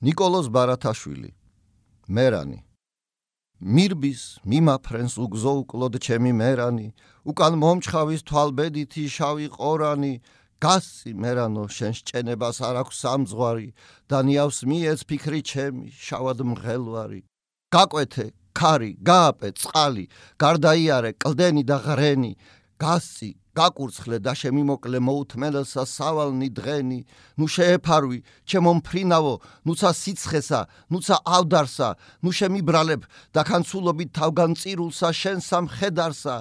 ნიკოლოზ ბარათაშვილი მერანი მირბის მიმაფრენს უგზო უკლოდ ჩემი მერანი უკან მომჩხავის თვალბედითი შავი ყორანი გასცი მერანო შენ სჭენებას არ აქვს სამძღვარი და ნიავს მიეც ფიქრი ჩემი შავად მღელვარი გაკვეთე ქარი გააპე წყალი გარდაიარე კლდენი და ღრენი გასცი გაკურცხლე და შემიმოკლე მოუთმენელსა სავალნი დღენი ნუ შეეფარვი ჩემო მფრინავო ნუცა სიცხესა ნუცა ავდარსა ნუ შემიბრალებ და ქანცულობით თავგანწირულსა შენ სამხედარსა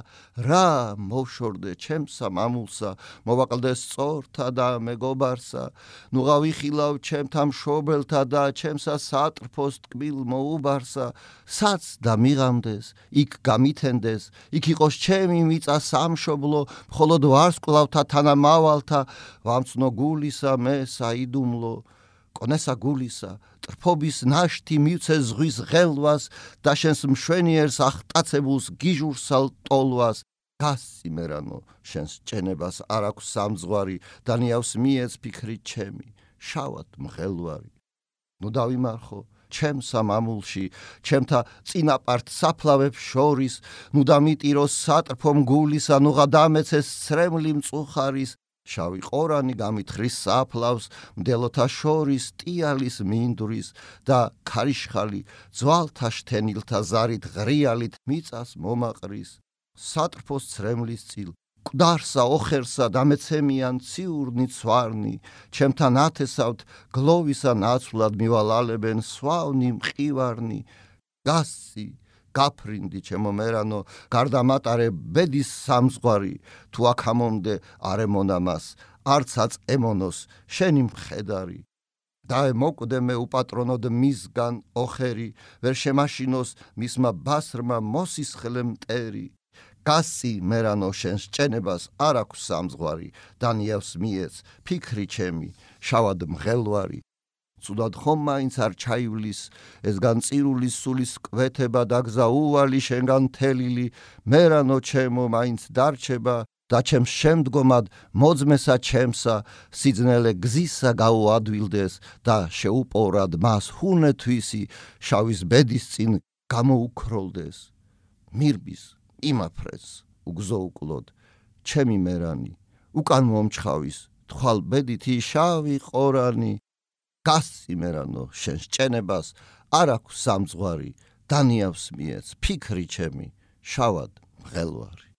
რა მოვშორდე ჩემსა მამულსა მოვაკლდე სწორთა და მეგობარსა ნუ გავიხილავ ჩემთა მშობელთა და ჩემსა სატრფოს ტკბილ მოუბარსა საц და მიღამდეს იქ გამითენდეს იქ იყოს ჩემი მიწა სამშობლო მხოლოდ ვარსკვლავთა თანამავალთა ვამცნო გულისა მე საიდუმლო კონესა გულისა ტრფობის ნაშთი მივცე ზღვის ღელვას და შენს მშვენიერს ახტაცებულს გიჟურსალ ტოლვას გასცი მერანო შენს ჭენებას არ აქვს სამძღვარი და ნიავს მიეც ფიქრი ჩემი შავად მღელვარი ნუ დავიმარხო ჩემსა მამულში ჩემთა წინაპართ საფლავებს შორის ნუ დამიტიროს სატრფო მგულისა ნუ გადამეცეს სრემლი მწუხარის შავი ყორანი გამithრის საფლავს მდელოთა შორის ტიალის მინდვრის და ქარიშხალი ძვალთა შთენილთა ზარით ღრიალით მიწას მომაყრის სატრფოს სრემლის წილ მკვდარსა ოხერსა დამეცემიან ციურნი ცვარნი ჩემთან ათესავთ გლოვისა ნაცვლად მივალალებენ სვავნი მყივარნი გასცი გაფრინდი ჩემო მერანო გარდამატარე ბედის სამძღვარი თუ აქ ამომდე არ ემონამას არცაც ემონოს შენი მხედარი დაემოკვდე მე უპატრონოდ მისგან ოხერი ვერ შემაშინოს მისმა ბასრმა მოსისხლე მტერი გასცი მერანო შენს ჭენებას არ აქვს სამძღვარი და ნიავს მიეც ფიქრი ჩემი შავად მღელვარი ცუდად ხომ მაინც არ ჩაივლის ეს განწირულის სულის კვეთება და გზა უვალი შენგან თელილი მერანო ჩემო მაინც დარჩება და ჩემს შემდგომად მოძმესა ჩემსა სიძნელე გზისა გაუადვილდეს და შეუპოვრად მას ჰუნეთვისი შავის ბედის წინ გამოუქროლდეს მირბის იმაფრენს უგზო უკლოდ ჩემი მერანი უკან მომჩხავის თვალბედითი შავი ყორანი გასცი მერანო შენ სჭენებას არ აქვს სამძღვარი და ნიავს მიეც ფიქრი ჩემი შავად მღელვარი